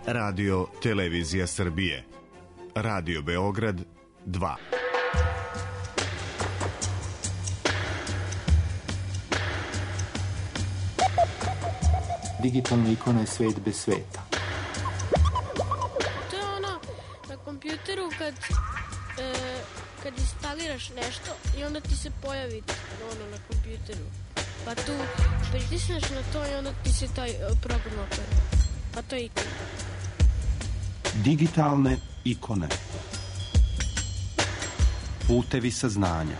Radio Televizija Srbije, Radio Beograd 2. Digitalna ikona je svet bez sveta. To je ono na kompjuteru kad instaliraš nešto i onda ti se pojavi ono na kompjuteru. Pa tu pritisneš na to i onda ti se taj program otvara. Pa to je ikona. Digitalne ikone. Putevi saznanja.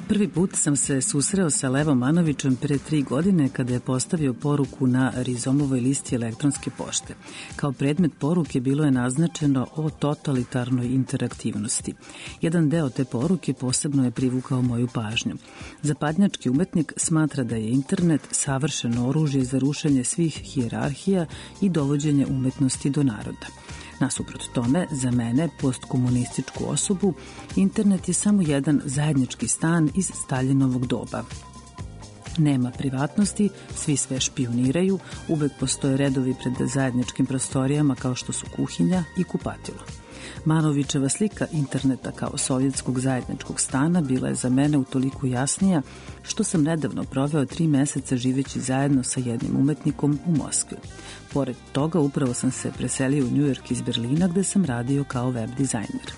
Prvi put sam se susreo sa Levom Manovićem pre 3 godine kada je postavio poruku na Rizomovoj listi elektronske pošte. Kao predmet poruke bilo je naznačeno o totalitarnoj interaktivnosti. Jedan deo te poruke posebno je privukao moju pažnju. Zapadnjački umetnik smatra da je internet savršeno oružje za rušenje svih hijerarhija i dovođenje umetnosti do naroda. Nasuprot tome, za mene, postkomunističku osobu, internet je samo jedan zajednički stan iz Staljinovog doba. Nema privatnosti, svi sve špijuniraju, uvek postoje redovi pred zajedničkim prostorijama kao što su kuhinja i kupatilo. Manovićeva slika interneta kao sovjetskog zajedničkog stana bila je za mene utoliko jasnija što sam nedavno proveo 3 meseca živeći zajedno sa jednim umetnikom u Moskvi. Pored toga, upravo sam se preselio u Njujork iz Berlina gde sam radio kao web dizajner.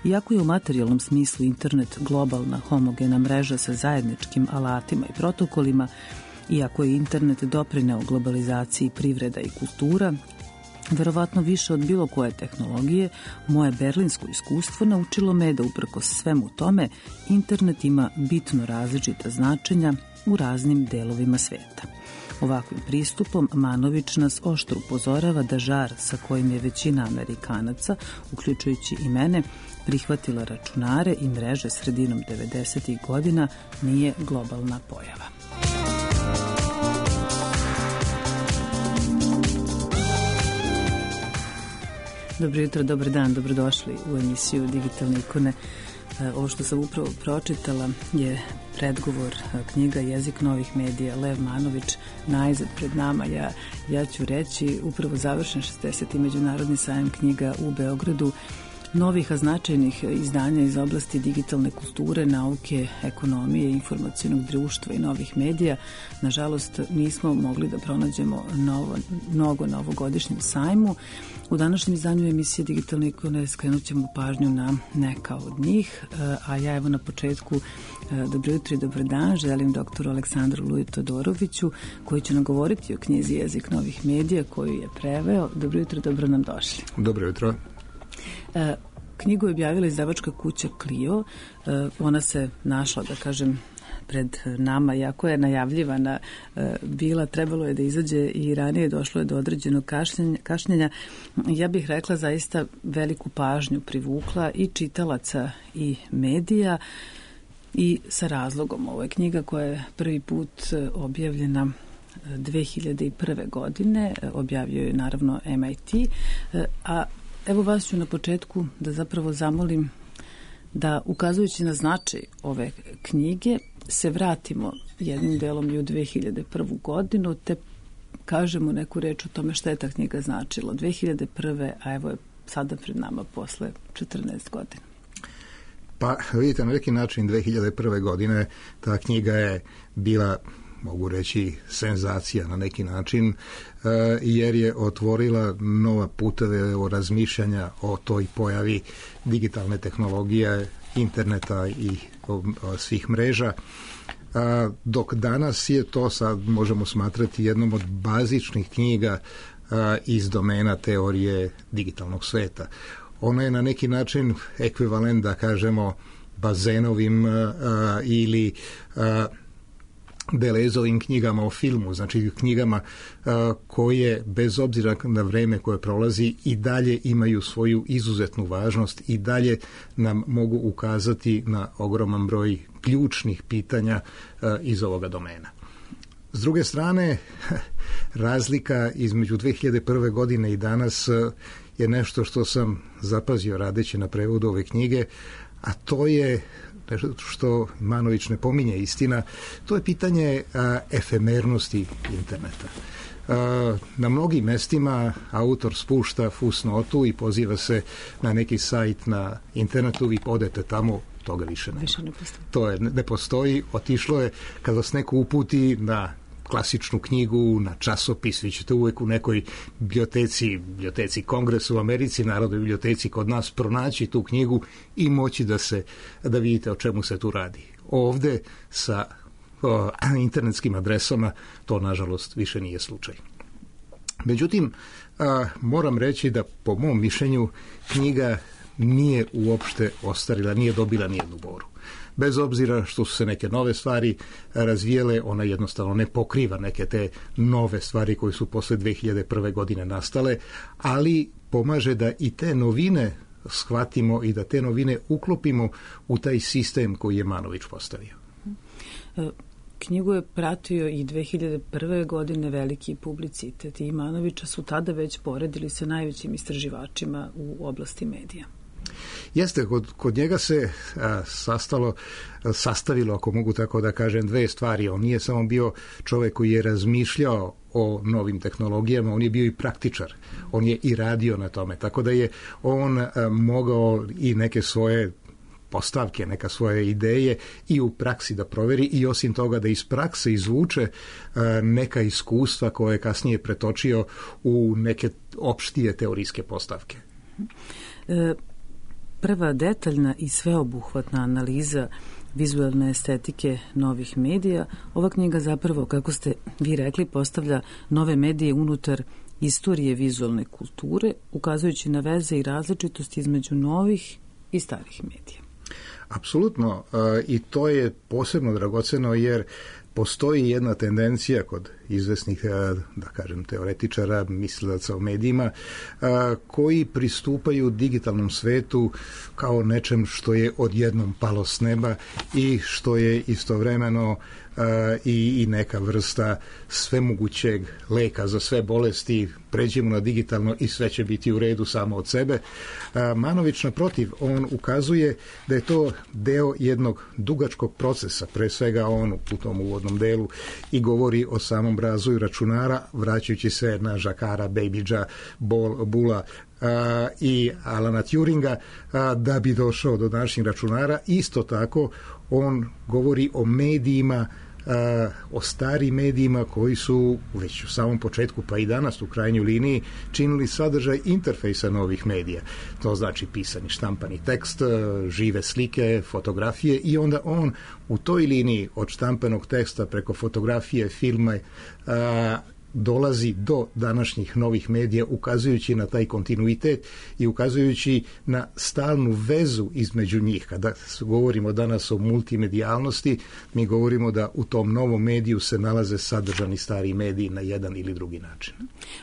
Iako je u materijalnom smislu internet globalna homogena mreža sa zajedničkim alatima i protokolima, iako je internet doprineo globalizaciji privreda i kultura, verovatno više od bilo koje tehnologije, moje berlinsko iskustvo naučilo me da uprkos svemu tome internet ima bitno različita značenja u raznim delovima sveta. Ovakvim pristupom Manović nas oštro upozorava da žar sa kojim je većina Amerikanaca, uključujući i mene, prihvatila računare i mreže sredinom 90. godina nije globalna pojava. Dobro jutro, dobar dan, dobrodošli u emisiju Digitalne ikone. Ovo što sam upravo pročitala je predgovor knjiga Jezik novih medija, Lev Manović, najzad pred nama. Ja ću reći, upravo završen 60. međunarodni sajam knjiga u Beogradu, novih a značajnih izdanja iz oblasti digitalne kulture, nauke, ekonomije, informacionog društva i novih medija. Nažalost, nismo mogli da pronađemo mnogo na ovogodišnjem sajmu. U današnjem izdanju emisije Digitalne ikone skrenut ćemo pažnju na neka od njih, a ja evo na početku dobro jutro i dobar dan želim doktoru Aleksandru Luji Todoroviću koji će nam govoriti o knjizi Jezik novih medija koju je preveo. Dobro jutro, dobro nam došli. Dobro jutro. Knjigu je objavila izdavačka kuća Clio. Ona se našla, da kažem, pred nama, jako je najavljivana bila, trebalo je da izađe i ranije došlo je do određenog kašnjenja. Ja bih rekla zaista veliku pažnju privukla i čitalaca i medija i sa razlogom. Ovo je knjiga koja je prvi put objavljena 2001. godine, objavio je naravno MIT, a evo vas ću na početku da zapravo zamolim da, ukazujući na značaj ove knjige, se vratimo jednim delom i u 2001. godinu, te kažemo neku reč o tome šta je ta knjiga značila. 2001. a evo je sada pred nama posle 14 godina. Pa vidite, na neki način 2001. godine ta knjiga je bila, mogu reći, senzacija na neki način, jer je otvorila nova puteve o razmišljanja o toj pojavi digitalne tehnologije, interneta i svih mreža. Dok danas je to sad možemo smatrati jednom od bazičnih knjiga iz domena teorije digitalnog sveta. Ona je na neki način ekvivalent, da kažemo, bazenovim ili Delezovim knjigama o filmu, znači knjigama koje bez obzira na vreme koje prolazi i dalje imaju svoju izuzetnu važnost i dalje nam mogu ukazati na ogroman broj ključnih pitanja iz ovoga domena. S druge strane, razlika između 2001. godine i danas je nešto što sam zapazio radeći na prevodu ove knjige, a to je nešto što Manović ne pominje, istina, to je pitanje efemernosti interneta. Na mnogim mestima autor spušta fusnotu i poziva se na neki sajt na internetu, vi odete tamo, toga više nema. To ne postoji, otišlo je kada vas neko uputi na klasičnu knjigu, na časopis, vi ćete uvek u nekoj biblioteci Kongresa u Americi, Narodnoj biblioteci kod nas pronaći tu knjigu i moći da vidite o čemu se tu radi. Ovde sa internetskim adresama to nažalost više nije slučaj. Međutim, moram reći da po mom mišljenju knjiga nije uopšte ostarila, nije dobila nijednu boru. Bez obzira što su se neke nove stvari razvijele, ona jednostavno ne pokriva neke te nove stvari koje su posle 2001. godine nastale, ali pomaže da i te novine shvatimo i da te novine uklopimo u taj sistem koji je Manović postavio. Knjigu je pratio i 2001. godine veliki publicitet i Manovića su tada već poredili sa najvećim istraživačima u oblasti medija. Jeste, kod njega se sastavilo, ako mogu tako da kažem, dve stvari. On nije samo bio čovjek koji je razmišljao o novim tehnologijama, on je bio i praktičar. On je i radio na tome. Tako da je on mogao i neke svoje postavke, neka svoje ideje i u praksi da proveri i osim toga da iz prakse izvuče neka iskustva koje je kasnije pretočio u neke opštije teorijske postavke. Prva detaljna i sveobuhvatna analiza vizualne estetike novih medija, ova knjiga zapravo, kako ste vi rekli, postavlja nove medije unutar istorije vizualne kulture, ukazujući na veze i različitosti između novih i starih medija. Apsolutno, i to je posebno dragoceno jer postoji jedna tendencija kod izvesnih, da kažem, teoretičara, mislilaca o medijima, koji pristupaju digitalnom svetu kao nečem što je odjednom palo s neba i što je istovremeno i neka vrsta svemogućeg leka za sve bolesti, pređemo na digitalno i sve će biti u redu samo od sebe. Manović, naprotiv, on ukazuje da je to deo jednog dugačkog procesa, pre svega on u tom uvodnom delu i govori o samom razvoju računara, vraćajući se na Jacquarda, Babbagea, Bulla i Alana Turinga, da bi došao do današnjih računara. Isto tako, on govori o medijima, o starim medijima koji su već u samom početku, pa i danas u krajnjoj liniji, činili sadržaj interfejsa novih medija. To znači pisani, štampani tekst, žive slike, fotografije i onda on u toj liniji od štampanog teksta preko fotografije, filma, dolazi do današnjih novih medija ukazujući na taj kontinuitet i ukazujući na stalnu vezu između njih. Kada govorimo danas o multimedijalnosti, mi govorimo da u tom novom mediju se nalaze sadržani stari mediji na jedan ili drugi način.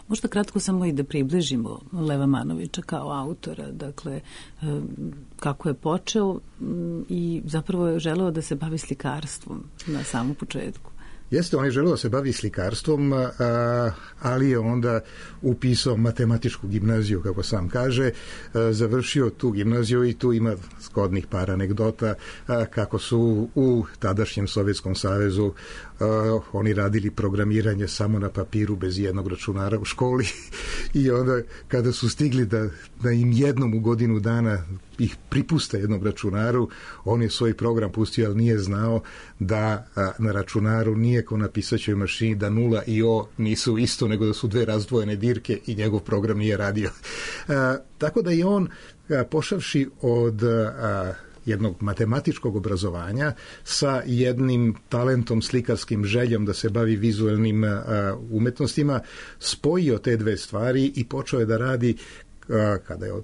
Možda kratko samo i da približimo Leva Manovića kao autora, dakle kako je počeo i zapravo je želeo da se bavi slikarstvom na samom početku. Jeste, on je želeo da se bavi slikarstvom, ali je onda upisao matematičku gimnaziju, kako sam kaže, završio tu gimnaziju i tu ima zgodnih par anegdota kako su u tadašnjem Sovjetskom savezu oni radili programiranje samo na papiru bez jednog računara u školi i onda kada su stigli da im jednom u godinu dana ih pripuste jednom računaru, on je svoj program pustio, ali nije znao da na računaru nije ko na pisaćoj mašini da 0 i O nisu isto, nego da su dve razdvojene dirke i njegov program nije radio. Tako da je on, pošavši od jednog matematičkog obrazovanja sa jednim talentom, slikarskim željom da se bavi vizualnim umetnostima, spojio te dve stvari i počeo je da radi,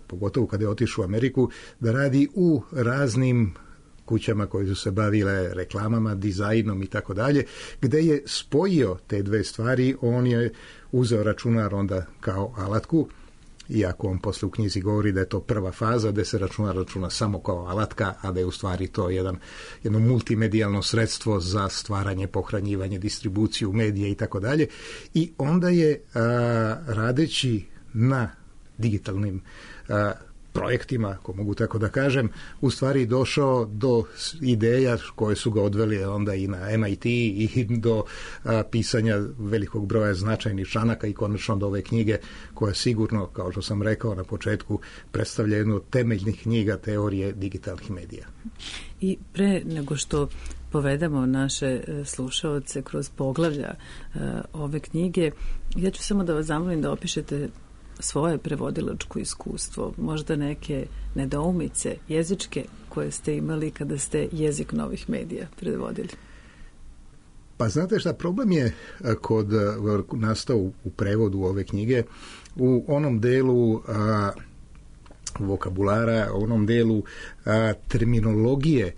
pogotovo kada je otišao u Ameriku, da radi u raznim kućama koje su se bavile reklamama, dizajnom i tako dalje, gde je spojio te dve stvari. On je uzeo računar onda kao alatku, iako on posle u knjizi govori da je to prva faza, da se računar računa samo kao alatka, a da je u stvari to jedno multimedijalno sredstvo za stvaranje, pohranjivanje, distribuciju medija i tako dalje. I onda je radeći na digitalnim projektima, ako mogu tako da kažem, u stvari došao do ideja koje su ga odveli onda i na MIT i do pisanja velikog broja značajnih članaka i konačno do ove knjige koja sigurno, kao što sam rekao na početku, predstavlja jednu od temeljnih knjiga teorije digitalnih medija. I pre nego što povedemo naše slušaoce kroz poglavlja ove knjige, ja ću samo da vas zamolim da opišete svoje prevodilačko iskustvo, možda neke nedoumice jezičke koje ste imali kada ste jezik novih medija prevodili. Pa znate šta, problem je nastao u prevodu ove knjige u onom delu vokabulara, u onom delu terminologije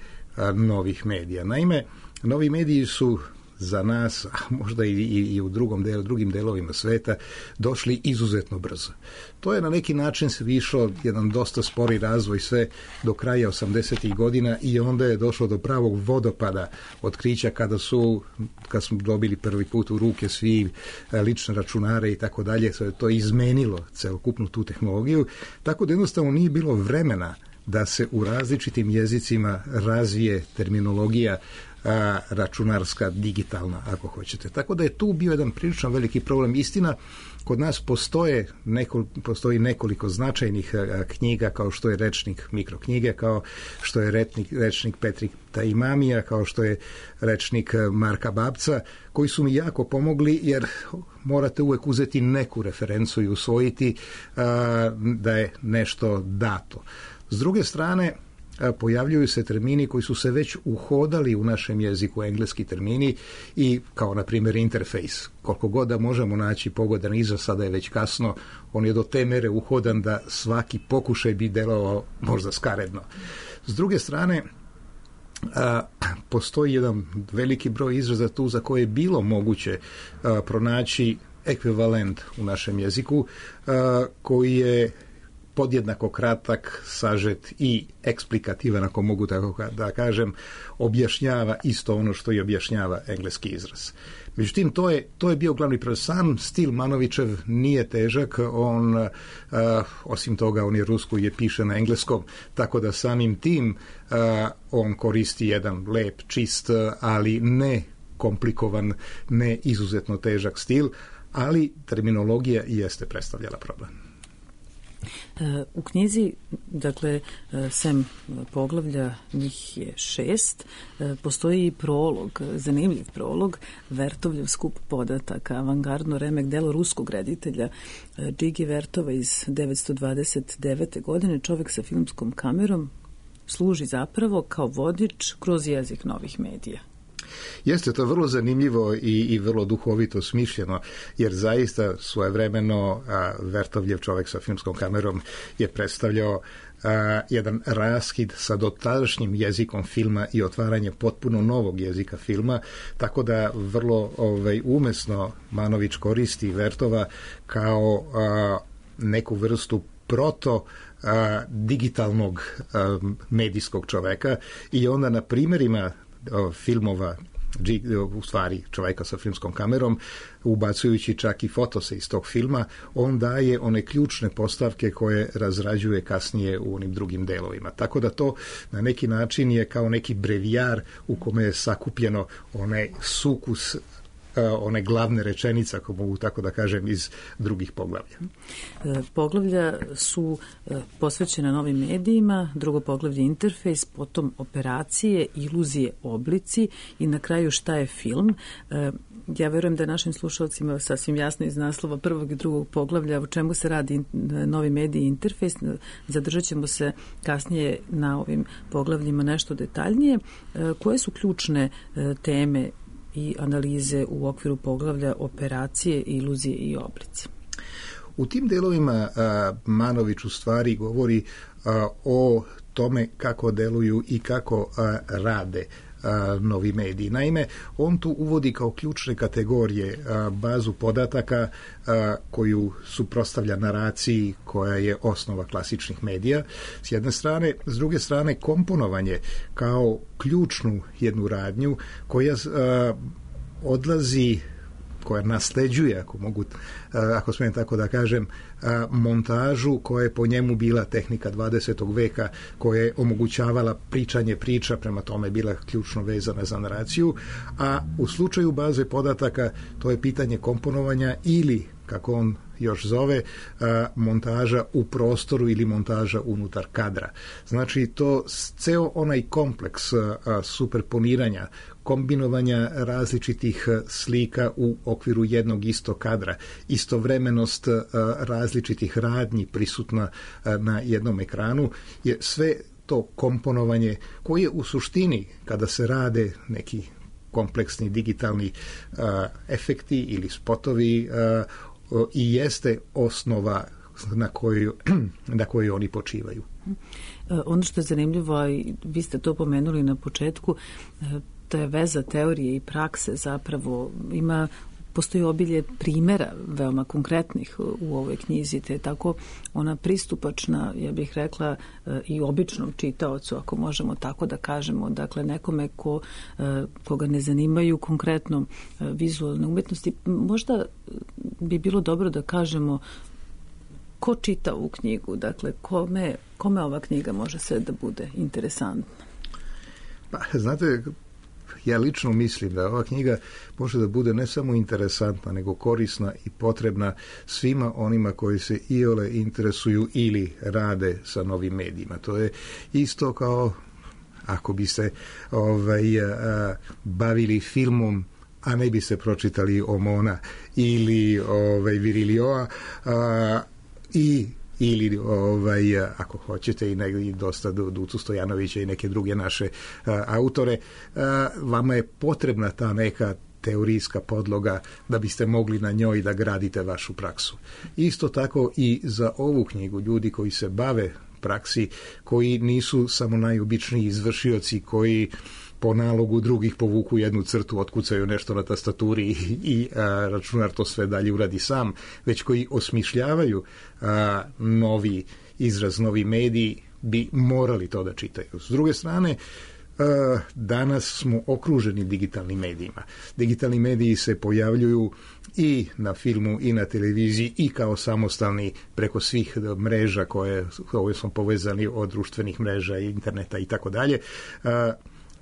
novih medija. Naime, novi mediji su za nas, a možda i u drugim delovima sveta, došli izuzetno brzo. To je na neki način se išao jedan dosta spori razvoj sve do kraja 80. godina i onda je došlo do pravog vodopada otkrića kad smo dobili prvi put u ruke svi lične računare i tako dalje. To je izmenilo celokupnu tu tehnologiju, tako da jednostavno nije bilo vremena da se u različitim jezicima razvije terminologija računarska, digitalna, ako hoćete. Tako da je tu bio jedan prilično veliki problem. Istina, kod nas postoji nekoliko značajnih knjiga, kao što je rečnik mikroknjige, kao što je rečnik Petrika Imamija, kao što je rečnik Marka Babca, koji su mi jako pomogli, jer morate uvek uzeti neku referencu i usvojiti da je nešto dato. S druge strane, pojavljuju se termini koji su se već uhodali u našem jeziku, engleski termini, i kao na primjer interfejs. Koliko god da možemo naći pogodan izraz, sada je već kasno, on je do te mere uhodan da svaki pokušaj bi delovao možda skaredno. S druge strane, postoji jedan veliki broj izraza tu za koje je bilo moguće pronaći ekvivalent u našem jeziku, koji je podjednako kratak, sažet i eksplikativan, ako mogu tako da kažem, objašnjava isto ono što i objašnjava engleski izraz. Međutim, to je bio glavni problem. Sam stil Manovićev nije težak, on, osim toga, on je rusko i piše na engleskom, tako da samim tim on koristi jedan lep, čist, ali ne komplikovan, ne izuzetno težak stil, ali terminologija jeste predstavljala problem. U knjizi, dakle, sem poglavlja, njih je 6, postoji i prolog, zanimljiv prolog, Vertovljev skup podataka, avangardno remek delo ruskog reditelja Džigi Vertova iz 1929. godine. Čovek sa filmskom kamerom služi zapravo kao vodič kroz jezik novih medija. Jeste, to je vrlo zanimljivo i vrlo duhovito smišljeno, jer zaista svojevremeno Vertovljev, čovek sa filmskom kamerom, je predstavljao jedan raskid sa dotadašnjim jezikom filma i otvaranje potpuno novog jezika filma, tako da vrlo umesno Manović koristi Vertova kao neku vrstu digitalnog medijskog čoveka, i onda na primjerima filmova, u stvari čoveka sa filmskom kamerom, ubacujući čak i fotose iz tog filma, on daje one ključne postavke koje razrađuje kasnije u onim drugim delovima. Tako da to na neki način je kao neki brevijar u kome je sakupljeno onaj sukus, one glavne rečenice, ako mogu tako da kažem, iz drugih poglavlja. Poglavlja su posvećena novim medijima, drugo poglavlje interfejs, potom operacije, iluzije, oblici i na kraju šta je film. Ja verujem da je našim slušalcima sasvim jasno iz naslova prvog i drugog poglavlja o čemu se radi novi mediji i interfejs. Zadržat ćemo se kasnije na ovim poglavljima nešto detaljnije. Koje su ključne teme i analize u okviru poglavlja operacije, iluzije i oblici? U tim delovima Manović u stvari govori o tome kako deluju i kako rade novi mediji. Naime, on tu uvodi kao ključne kategorije bazu podataka koju suprotstavlja naraciji koja je osnova klasičnih medija s jedne strane, s druge strane komponovanje kao ključnu jednu radnju koja odlazi, koja nasleđuje, ako smijem tako da kažem, montažu koja je po njemu bila tehnika 20. veka, koja je omogućavala pričanje priča, prema tome bila ključno vezana za naraciju, a u slučaju baze podataka to je pitanje komponovanja ili, kako on još zove, montaža u prostoru ili montaža unutar kadra. Znači, to ceo onaj kompleks superponiranja, kombinovanja različitih slika u okviru jednog istog kadra, istovremenost različitih radnji prisutna na jednom ekranu, je sve to komponovanje koje u suštini, kada se rade neki kompleksni digitalni efekti ili spotovi, i jeste osnova na kojoj oni počivaju. Ono što je zanimljivo, i vi ste to pomenuli na početku, to je veza teorije i prakse, zapravo postoji obilje primjera veoma konkretnih u ovoj knjizi, te je tako ona pristupačna, ja bih rekla, i običnom čitaocu, ako možemo tako da kažemo, dakle nekome koga ne zanimaju konkretno vizualne umetnosti. Možda bi bilo dobro da kažemo ko čita ovu knjigu, dakle kome ova knjiga može sve da bude interesantna? Pa, znate, ja lično mislim da ova knjiga može da bude ne samo interesantna, nego korisna i potrebna svima onima koji se iole interesuju ili rade sa novim medijima. To je isto kao ako bi se bavili filmom, a ne bi se pročitali Omona ili Virilioa ili ako hoćete i dosta Ducu Stojanovića i neke druge naše autore, vama je potrebna ta neka teorijska podloga da biste mogli na njoj da gradite vašu praksu. Isto tako i za ovu knjigu ljudi koji se bave praksi, koji nisu samo najobičniji izvršioci koji po nalogu drugih povuku jednu crtu, otkucaju nešto na tastaturi i računar to sve dalje uradi sam, već koji osmišljavaju novi izraz, novi mediji, bi morali to da čitaju. S druge strane, danas smo okruženi digitalnim medijima. Digitalni mediji se pojavljuju i na filmu i na televiziji i kao samostalni preko svih mreža koje smo povezani od društvenih mreža, interneta i tako dalje.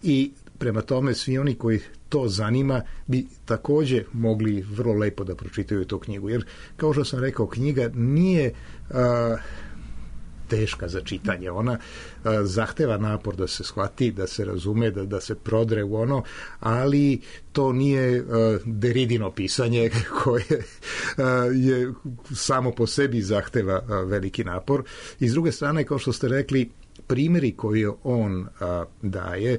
I prema tome svi oni koji to zanima bi također mogli vrlo lepo da pročitaju tu knjigu. Jer, kao što sam rekao, knjiga nije teška za čitanje. Ona zahteva napor da se shvati, da se razume, da se prodre u ono, ali to nije Deridino pisanje koje je samo po sebi zahteva veliki napor. I s druge strane, kao što ste rekli, primjeri koje on daje,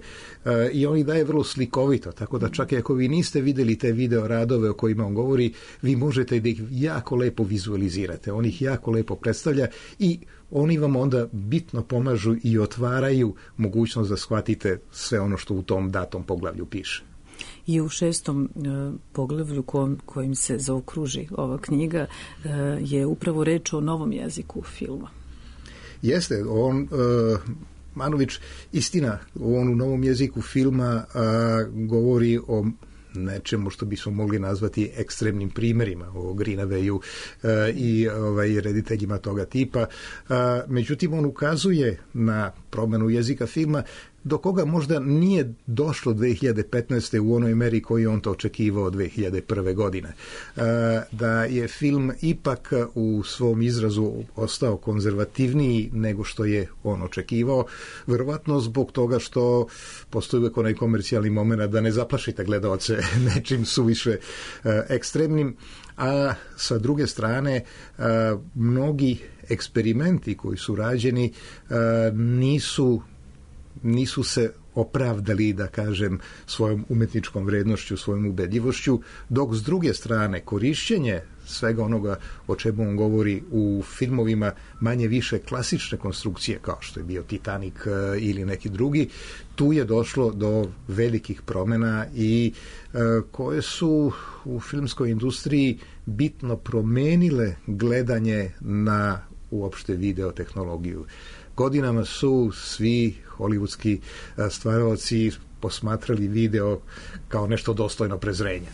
i on ih daje vrlo slikovito, tako da čak i ako vi niste vidjeli te video radove o kojima on govori, vi možete da ih jako lepo vizualizirate. On ih jako lepo predstavlja i oni vam onda bitno pomažu i otvaraju mogućnost da shvatite sve ono što u tom datom poglavlju piše. I u 6. poglavlju kojim se zaokruži ova knjiga je upravo reč o novom jeziku filma. Jeste, Manović, istina, on u novom jeziku filma govori o nečemu što bismo mogli nazvati ekstremnim primjerima, o Greenawayu i rediteljima toga tipa. Međutim, on ukazuje na promjenu jezika filma do koga možda nije došlo 2015. u onoj meri koji on to očekivao 2001. godine. Da je film ipak u svom izrazu ostao konzervativniji nego što je on očekivao, verovatno zbog toga što postoji uvijek onaj komercijalni moment da ne zaplašite gledaoce nečim suviše ekstremnim, a sa druge strane mnogi eksperimenti koji su rađeni nisu se opravdali, da kažem, svojom umetničkom vrednošću, svojom ubedljivošću, dok s druge strane korišćenje svega onoga o čemu on govori u filmovima manje više klasične konstrukcije, kao što je bio Titanic ili neki drugi, tu je došlo do velikih promjena i koje su u filmskoj industriji bitno promenile gledanje na uopšte videotehnologiju. Godinama su svi hollywoodski stvaraoci posmatrali video kao nešto dostojno prezrenja.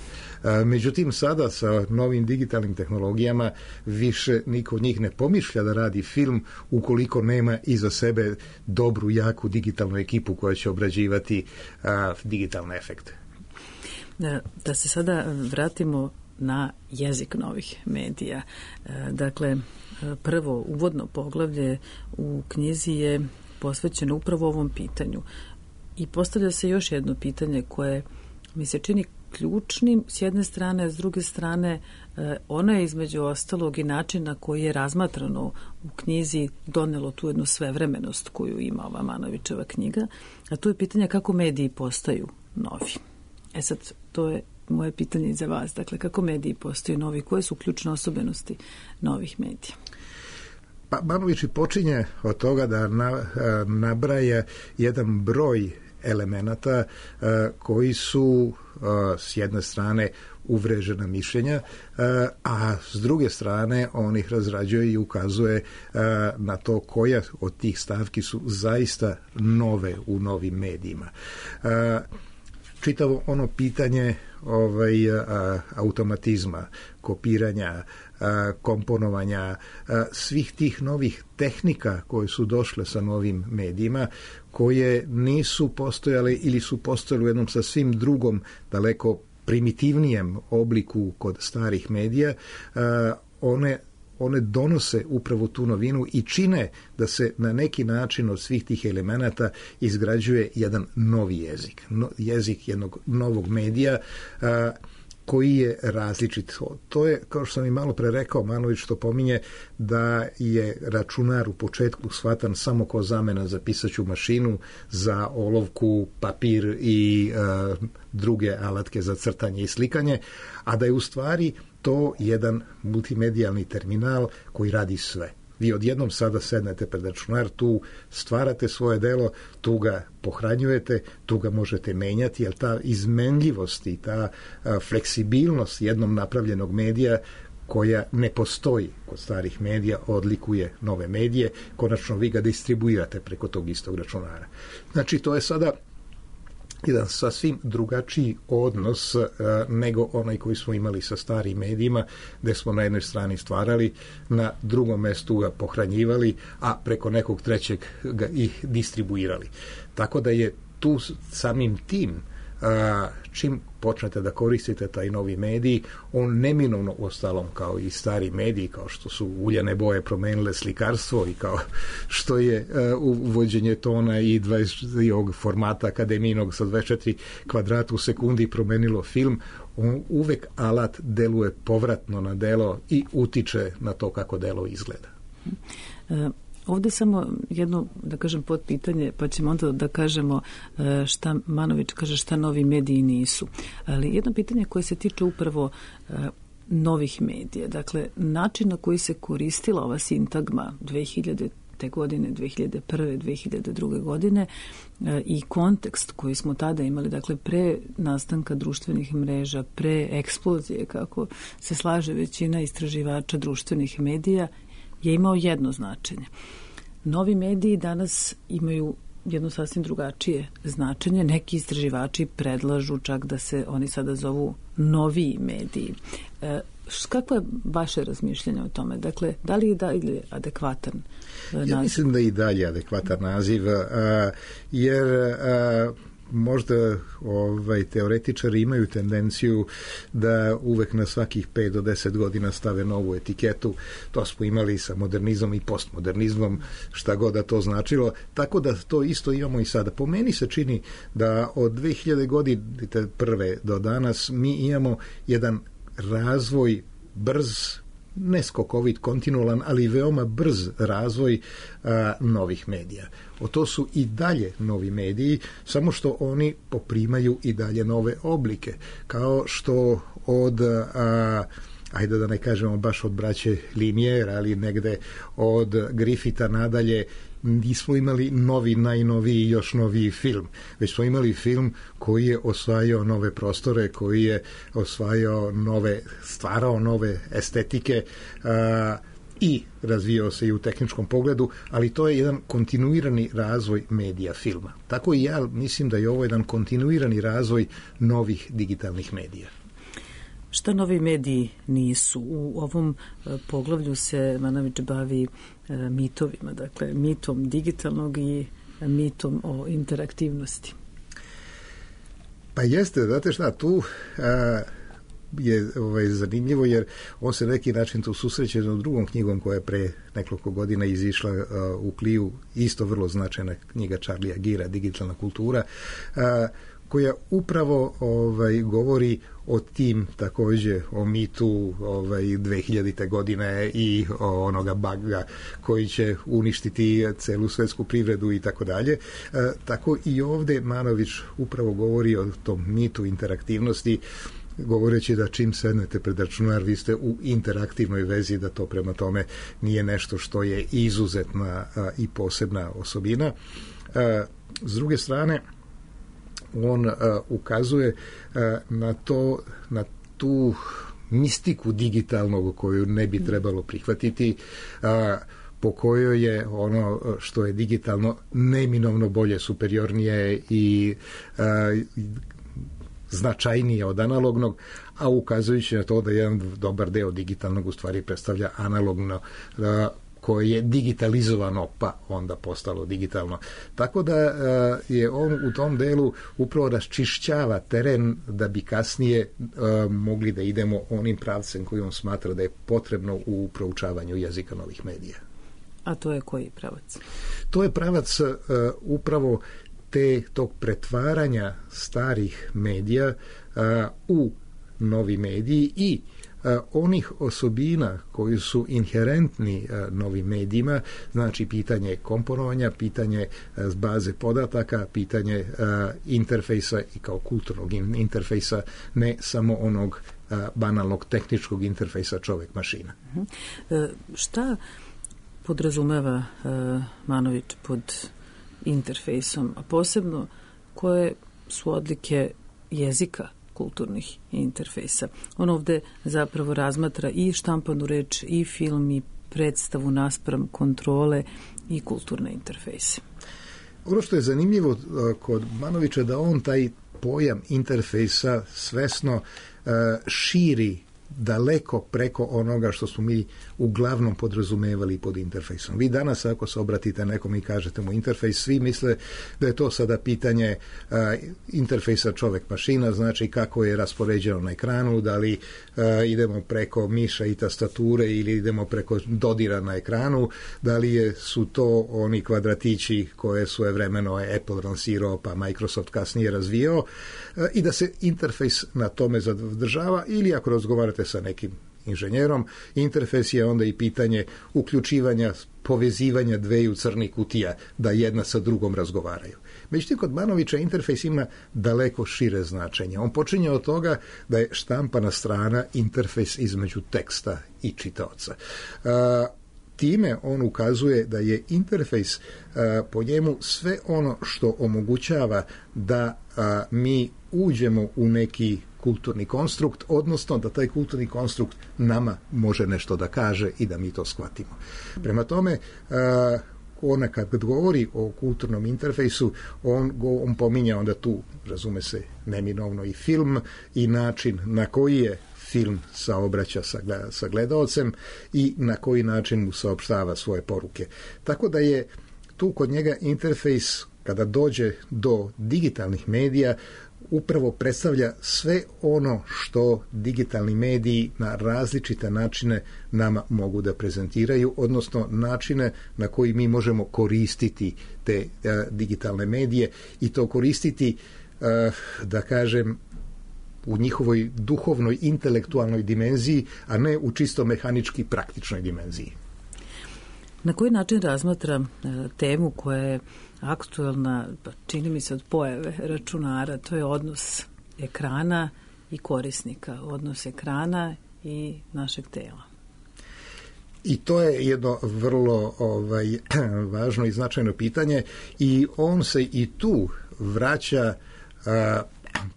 Međutim, sada sa novim digitalnim tehnologijama više niko od njih ne pomišlja da radi film ukoliko nema iza sebe dobru, jaku digitalnu ekipu koja će obrađivati digitalne efekte. Da se sada vratimo na jezik novih medija. Dakle, prvo uvodno poglavlje u knjizi je posvećeno upravo ovom pitanju. I postavlja se još jedno pitanje koje mi se čini ključnim s jedne strane, a s druge strane ono je između ostalog i način na koji je razmatrano u knjizi donelo tu jednu svevremenost koju ima ova Manovićeva knjiga, a to je pitanje kako mediji postaju novi. Sad, to je moje pitanje i za vas. Dakle, kako mediji postaju novi? Koje su ključne osobenosti novih medija? Pa Manović počinje od toga da nabraja jedan broj elemenata koji su s jedne strane uvrežena mišljenja, a s druge strane on ih razrađuje i ukazuje na to koja od tih stavki su zaista nove u novim medijima. Čitavo ono pitanje automatizma, kopiranja, komponovanja, svih tih novih tehnika koje su došle sa novim medijima, koje nisu postojale ili su postojale u jednom sasvim drugom, daleko primitivnijem obliku kod starih medija, one donose upravo tu novinu i čine da se na neki način od svih tih elemenata izgrađuje jedan novi jezik. Jezik jednog novog medija koji je različit. To je, kao što sam i malo pre rekao, Manović to pominje, da je računar u početku shvatan samo kao zamena za pisaću mašinu, za olovku, papir i druge alatke za crtanje i slikanje, a da je u stvari to jedan multimedijalni terminal koji radi sve. Vi odjednom sada sednete pred računar, tu stvarate svoje delo, tu ga pohranjujete, tu ga možete menjati, jer ta izmenljivost i ta fleksibilnost jednom napravljenog medija koja ne postoji kod starih medija odlikuje nove medije, konačno vi ga distribuirate preko tog istog računara. Znači, to je sada jedan sasvim drugačiji odnos nego onaj koji smo imali sa starim medijima, gde smo na jednoj strani stvarali, na drugom mestu ga pohranjivali, a preko nekog trećeg ga ih distribuirali. Tako da je tu samim tim, čim počnete da koristite taj novi medij, on neminovno ostalom kao i stari mediji, kao što su uljane boje promenile slikarstvo i kao što je uvođenje tona i ovog formata akademijinog sa 24 kvadrata u sekundi promenilo film, on uvek alat deluje povratno na delo i utiče na to kako delo izgleda. Ovdje samo jedno, da kažem, potpitanje, pa ćemo onda da kažemo šta Manović kaže, šta novi mediji nisu. Ali jedno pitanje koje se tiče upravo novih medija. Dakle, način na koji se koristila ova sintagma 2000. godine, 2001. 2002. godine i kontekst koji smo tada imali, dakle, pre nastanka društvenih mreža, pre eksplozije, kako se slaže većina istraživača društvenih medija, je imao jedno značenje. Novi mediji danas imaju jedno sasvim drugačije značenje. Neki istraživači predlažu čak da se oni sada zovu noviji mediji. Kako je vaše razmišljanje o tome? Dakle, da li je dalje adekvatan naziv? Ja mislim da je i dalje adekvatan naziv, jer možda teoretičari imaju tendenciju da uvek na svakih 5 do 10 godina stave novu etiketu. To smo imali sa modernizmom i postmodernizmom, šta god da to značilo. Tako da to isto imamo i sada. Po meni se čini da od 2000 godine prve do danas mi imamo jedan razvoj brz, ne skokovit, kontinualan, ali veoma brz razvoj novih medija. To su i dalje novi mediji, samo što oni poprimaju i dalje nove oblike. Kao što od ajde da ne kažemo baš od braće Lumière, ali negde od Griffitha nadalje, nismo imali najnoviji, još noviji film, već smo imali film koji je osvajao nove prostore, koji je osvajao stvarao nove estetike i razvijao se i u tehničkom pogledu, ali to je jedan kontinuirani razvoj medija filma. Tako i ja mislim da je ovo jedan kontinuirani razvoj novih digitalnih medija. Šta novi mediji nisu? U ovom poglavlju se Manović bavi mitovima, dakle mitom digitalnog i mitom o interaktivnosti. Pa jeste, znate šta, tu je zanimljivo jer on se neki način tu susreće s drugom knjigom koja je pre nekoliko godina izišla u Kliju, isto vrlo značajna knjiga Charlie'a Geara, Digitalna kultura, koja upravo govori o tim također, o mitu 2000. godine i o onoga baga koji će uništiti celu svetsku privredu i tako dalje. Tako i ovdje Manović upravo govori o tom mitu interaktivnosti, govoreći da čim sednete pred računar vi ste u interaktivnoj vezi, da to prema tome nije nešto što je izuzetna i posebna osobina. S druge strane, on ukazuje na tu mistiku digitalnog koju ne bi trebalo prihvatiti, po kojoj je ono što je digitalno neminovno bolje, superiornije i značajnije od analognog, a ukazujući na to da jedan dobar deo digitalnog u stvari predstavlja analogno, koje je digitalizovano pa onda postalo digitalno. Tako da je on u tom delu upravo raščišćava teren da bi kasnije mogli da idemo onim pravcem koji on smatra da je potrebno u proučavanju jezika novih medija. A to je koji pravac? To je pravac upravo tog pretvaranja starih medija u novi mediji i onih osobina koji su inherentni novim medijima, znači pitanje komponovanja, pitanje baze podataka, pitanje interfejsa i kao kulturnog interfejsa, ne samo onog banalnog tehničkog interfejsa čovjek-mašina. Šta podrazumeva Manović pod interfejsom, a posebno koje su odlike jezika kulturnih interfejsa? On ovde zapravo razmatra i štampanu reč, i film, i predstavu naspram kontrole i kulturne interfejse. Ono što je zanimljivo kod Manovića da on taj pojam interfejsa svesno širi daleko preko onoga što smo mi uglavnom podrazumevali pod interfejsom. Vi danas ako se obratite nekom i kažete mu interfejs, svi misle da je to sada pitanje interfejsa čovjek-mašina, znači kako je raspoređeno na ekranu, da li idemo preko miša i tastature ili idemo preko dodira na ekranu, da li su to oni kvadratići koje svojevremeno Apple lansirao pa Microsoft kasnije razvijao, i da se interfejs na tome zadržava, ili ako razgovarate sa nekim inženjerom, interfejs je onda i pitanje uključivanja, povezivanja dveju crnih kutija da jedna sa drugom razgovaraju. Međutim, kod Manovića interfejs ima daleko šire značenje. On počinje od toga da je štampana strana interfejs između teksta i čitaoca. Time on ukazuje da je interfejs po njemu sve ono što omogućava da mi uđemo u neki kulturni konstrukt, odnosno da taj kulturni konstrukt nama može nešto da kaže i da mi to shvatimo. Prema tome, ona kad govori o kulturnom interfejsu, on pominja onda tu, razume se, neminovno i film i način na koji je film saobraća sa gledaocem i na koji način mu saopštava svoje poruke. Tako da je tu kod njega interfejs, kada dođe do digitalnih medija, upravo predstavlja sve ono što digitalni mediji na različite načine nama mogu da prezentiraju, odnosno načine na koji mi možemo koristiti te digitalne medije i to koristiti, da kažem, u njihovoj duhovnoj, intelektualnoj dimenziji, a ne u čisto mehanički praktičnoj dimenziji. Na koji način razmatra temu koja je aktuelna, čini mi se od pojave računara, to je odnos ekrana i korisnika, odnos ekrana i našeg tela. I to je jedno vrlo važno i značajno pitanje i on se i tu vraća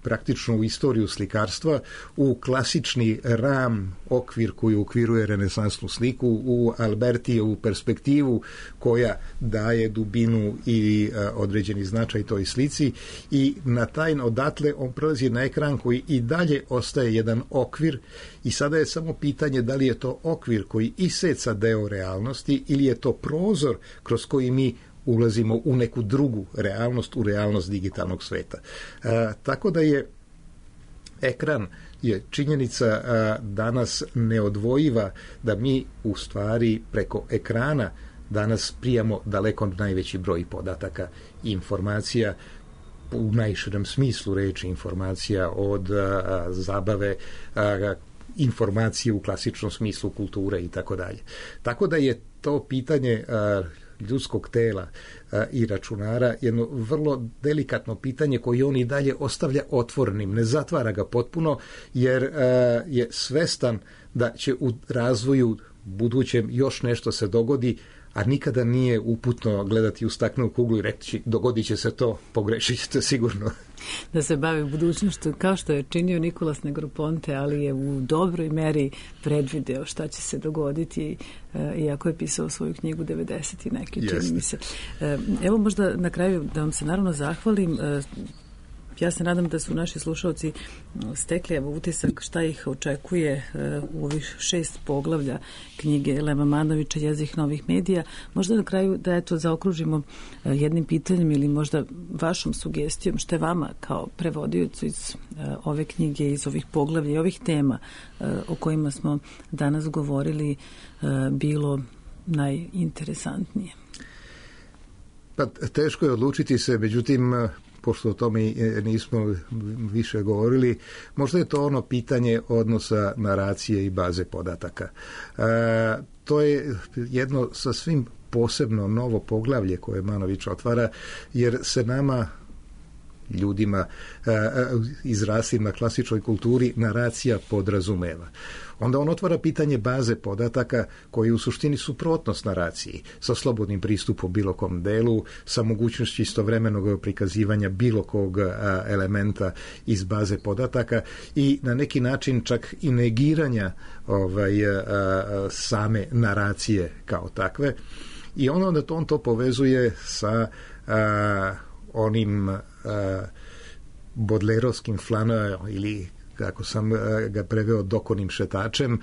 praktično u istoriju slikarstva, u klasični ram okvir koji ukviruje renesansnu sliku, u Albertijevu perspektivu koja daje dubinu i određeni značaj toj slici i odatle on prelazi na ekran koji i dalje ostaje jedan okvir i sada je samo pitanje da li je to okvir koji iseca deo realnosti ili je to prozor kroz koji mi ulazimo u neku drugu realnost, u realnost digitalnog sveta. Tako da je ekran je činjenica danas neodvojiva da mi u stvari preko ekrana danas prijamo daleko najveći broj podataka i informacija u najširem smislu reči informacija od zabave, informacije u klasičnom smislu kulture i tako dalje. Tako da je to pitanje ljudskog tela i računara jedno vrlo delikatno pitanje koje on i dalje ostavlja otvorenim, ne zatvara ga potpuno jer je svestan da će u razvoju budućem još nešto se dogodi, a nikada nije uputno gledati u staklenu kuglu i reći dogodit će se to, pogrešit ćete sigurno. Da se bavi budućnošću kao što je činio Nicolas Negroponte, ali je u dobroj meri predvideo šta će se dogoditi, iako je pisao svoju knjigu 90 i neki, čini mi se. Evo možda na kraju da vam se naravno zahvalim. Ja se nadam da su naši slušalci stekli utisak šta ih očekuje u ovih 6 poglavlja knjige Leva Manovića Jezik novih medija. Možda na kraju da zaokružimo jednim pitanjem ili možda vašom sugestijom što je vama kao prevodiocu iz ove knjige, iz ovih poglavlja i ovih tema o kojima smo danas govorili bilo najinteresantnije. Pa teško je odlučiti se, međutim pošto o tome nismo više govorili, možda je to ono pitanje odnosa naracije i baze podataka. To je jedno sasvim posebno novo poglavlje koje Manović otvara, jer se nama ljudima izraslim na klasičnoj kulturi naracija podrazumeva. Onda on otvara pitanje baze podataka koji u suštini suprotnost naraciji, sa slobodnim pristupom bilo kom delu, sa mogućnošću istovremenog prikazivanja bilo kog elementa iz baze podataka i na neki način čak i negiranja same naracije kao takve. I onda on to povezuje sa onim bodlerovskim flanelom ili kako sam ga preveo dokonim šetačem,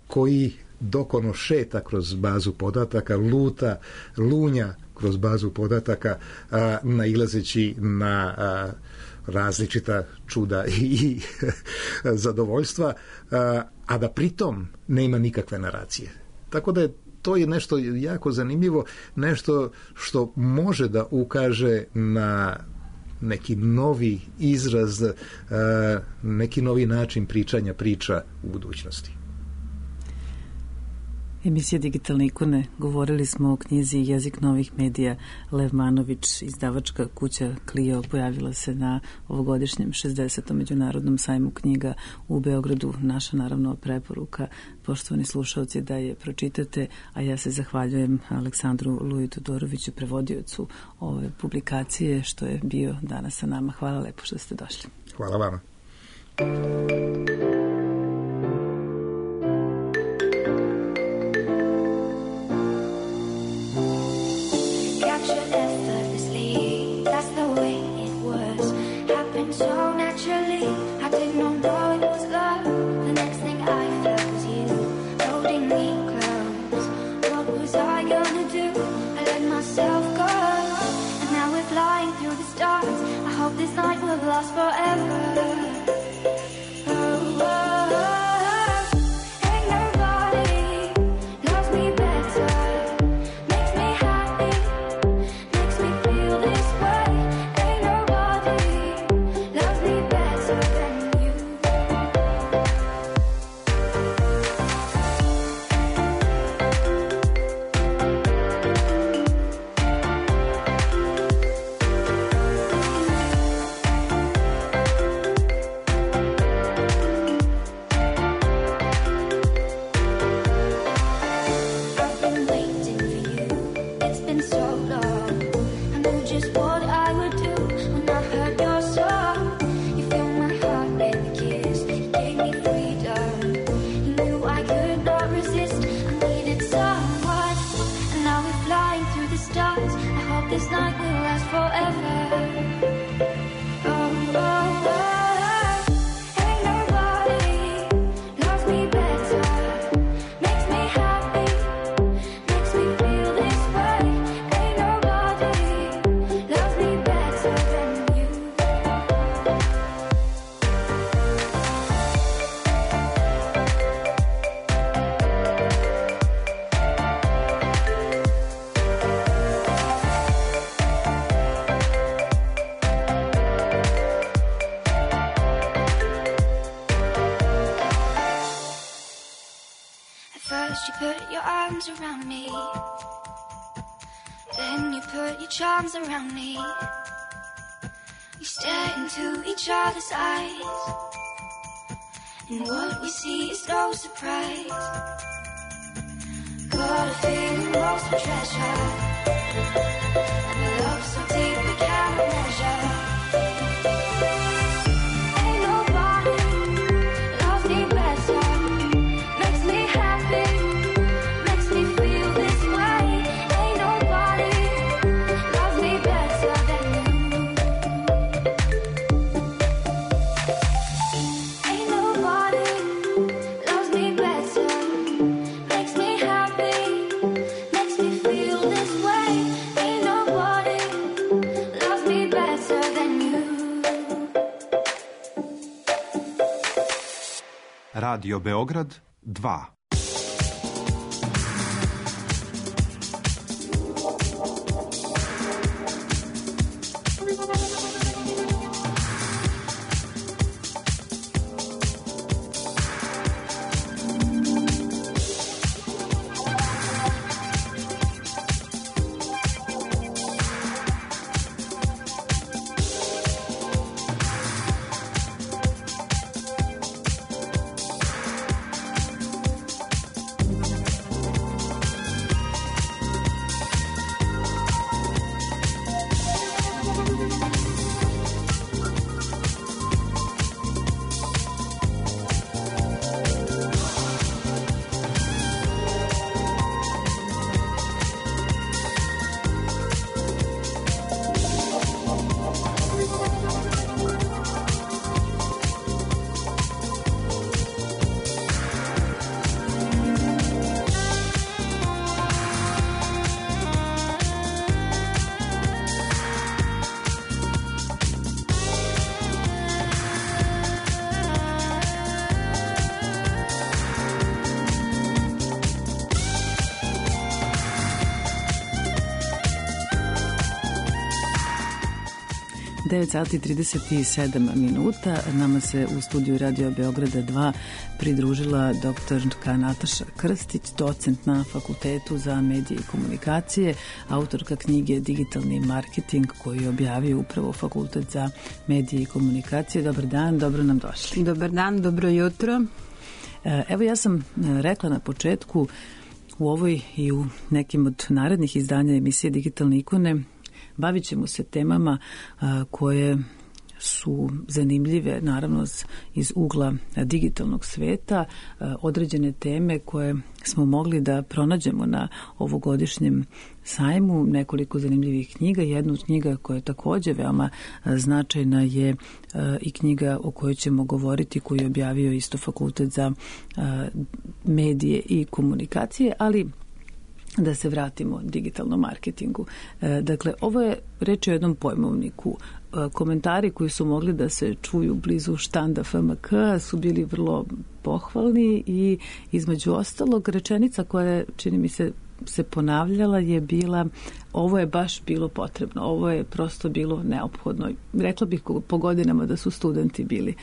koji dokono šeta kroz bazu podataka, lunja kroz bazu podataka, nailazeći na različita čuda i zadovoljstva, a da pritom nema nikakve naracije. Tako da to je nešto jako zanimljivo, nešto što može da ukaže na neki novi izraz, neki novi način pričanja priča u budućnosti. Emisija Digitalne ikone, govorili smo o knjizi Jezik novih medija. Lev Manović, izdavačka kuća Clio, pojavila se na ovogodišnjem 60. međunarodnom sajmu knjiga u Beogradu. Naša naravno preporuka, poštovani slušalci, da je pročitate, a ja se zahvaljujem Aleksandru Luji Todoroviću, prevodiocu ove publikacije, što je bio danas sa nama. Hvala lepo što ste došli. Hvala vama. This night will last forever. First you put your arms around me, then you put your charms around me. We stare into each other's eyes, and what we see is no surprise. Got a feeling lost for treasure, and a love so deep we cannot measure. Ain't nobody loves me better, makes me happy, makes me feel this way. Ain't nobody loves me better than you. Ain't nobody loves me better, makes me happy, makes me feel this way. Ain't nobody loves me better than you. Radio Beograd 2. Sati 37 minuta. Nama se u studiju Radio Beograda 2 pridružila doktorka Nataša Krstić, docent na Fakultetu za medije i komunikacije, autorka knjige Digitalni marketing koju je objavio upravo Fakultet za medije i komunikacije. Dobar dan, dobro nam došli. Dobar dan, dobro jutro. Evo, ja sam rekla na početku, u ovoj i u nekim od narednih izdanja emisije Digitalne ikone bavit ćemo se temama koje su zanimljive, naravno iz ugla digitalnog sveta, određene teme koje smo mogli da pronađemo na ovogodišnjem sajmu, nekoliko zanimljivih knjiga. Jedna od knjiga koja je takođe veoma značajna je i knjiga o kojoj ćemo govoriti, koju je objavio isto Fakultet za medije i komunikacije, ali da se vratimo digitalnom marketingu. Dakle, ovo je reč o jednom pojmovniku. Komentari koji su mogli da se čuju blizu štanda FMK su bili vrlo pohvalni i između ostalog rečenica koja je, čini mi se ponavljala je bila: ovo je baš bilo potrebno, ovo je prosto bilo neophodno. Rekla bih po godinama da su studenti bili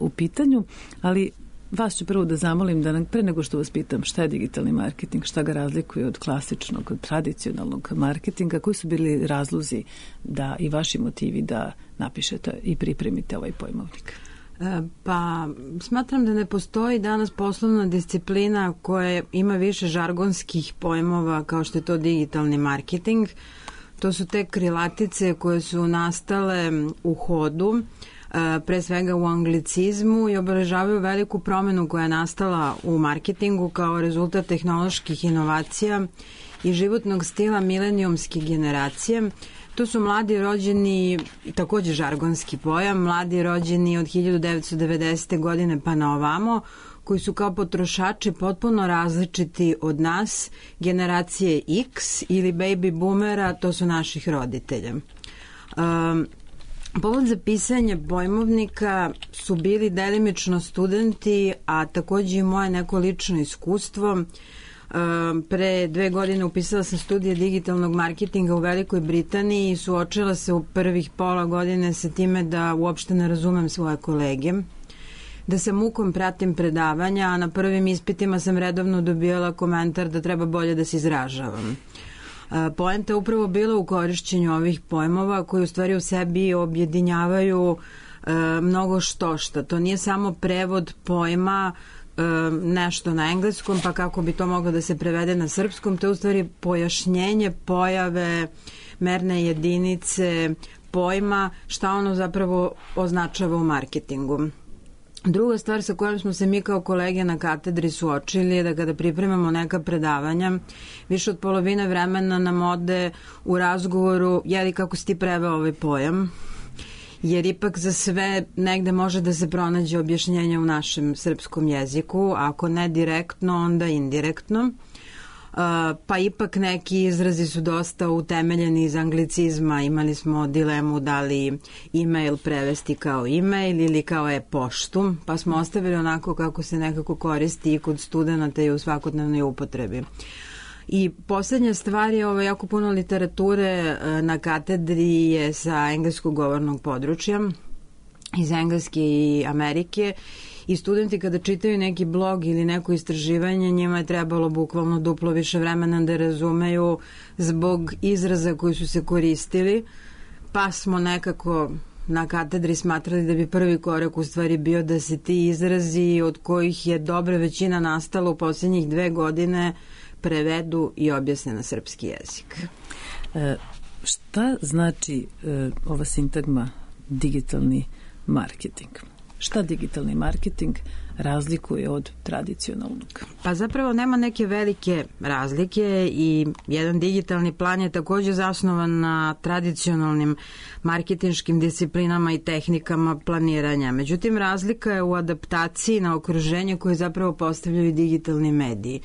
u pitanju, ali vas ću prvo da zamolim da nam, pre nego što vas pitam šta je digitalni marketing, šta ga razlikuje od klasičnog, od tradicionalnog marketinga, koji su bili razlozi da i vaši motivi da napišete i pripremite ovaj pojmovnik? Pa, smatram da ne postoji danas poslovna disciplina koja ima više žargonskih pojmova kao što je to digitalni marketing. To su te krilatice koje su nastale u hodu, pre svega u anglicizmu, i obeležavaju veliku promenu koja je nastala u marketingu kao rezultat tehnoloških inovacija i životnog stila milenijumske generacije. To su mladi rođeni, takođe žargonski pojam, mladi rođeni od 1990. godine pa na ovamo, koji su kao potrošači potpuno različiti od nas, generacije X ili baby boomera, to su naših roditelja. Povod za pisanje pojmovnika su bili delimično studenti, a takođe i moje neko lično iskustvo. Pre 2 godine upisala sam studije digitalnog marketinga u Velikoj Britaniji i suočila se u prvih pola godine sa time da uopšte ne razumem svoje kolege. da sa mukom pratim predavanja, a na prvim ispitima sam redovno dobijala komentar da treba bolje da se izražavam. Poenta je upravo bila u korišćenju ovih pojmova koji u stvari u sebi objedinjavaju mnogo štošta. To nije samo prevod pojma nešto na engleskom, pa kako bi to moglo da se prevede na srpskom, to je u stvari pojašnjenje pojave, merne jedinice, pojma, šta ono zapravo označava u marketingu. Druga stvar sa kojom smo se mi kao kolege na katedri suočili je da kada pripremamo neka predavanja, više od polovine vremena nam ode u razgovoru jeli kako si ti preveo ovaj pojam, jer ipak za sve negde može da se pronađe objašnjenje u našem srpskom jeziku, ako ne direktno, onda indirektno. Pa ipak neki izrazi su dosta utemeljeni iz anglicizma. Imali smo dilemu da li e-mail prevesti kao e-mail ili kao e-poštu, pa smo ostavili onako kako se nekako koristi i kod studenta i u svakodnevnoj upotrebi. I poslednja stvar je jako puno literature na katedri je sa engleskog govornog područja, iz Engleske i Amerike, i studenti kada čitaju neki blog ili neko istraživanje, njima je trebalo bukvalno duplo više vremena da razumeju zbog izraza koji su se koristili, pa smo nekako na katedri smatrali da bi prvi korak u stvari bio da se ti izrazi od kojih je dobra većina nastala u posljednjih 2 godine prevedu i objasne na srpski jezik. Šta znači ova sintagma digitalni marketing? Šta digitalni marketing razlikuje od tradicionalnog? Pa zapravo nema neke velike razlike i jedan digitalni plan je takođe zasnovan na tradicionalnim marketinškim disciplinama i tehnikama planiranja. Međutim, razlika je u adaptaciji na okruženje koje zapravo postavljaju digitalni mediji,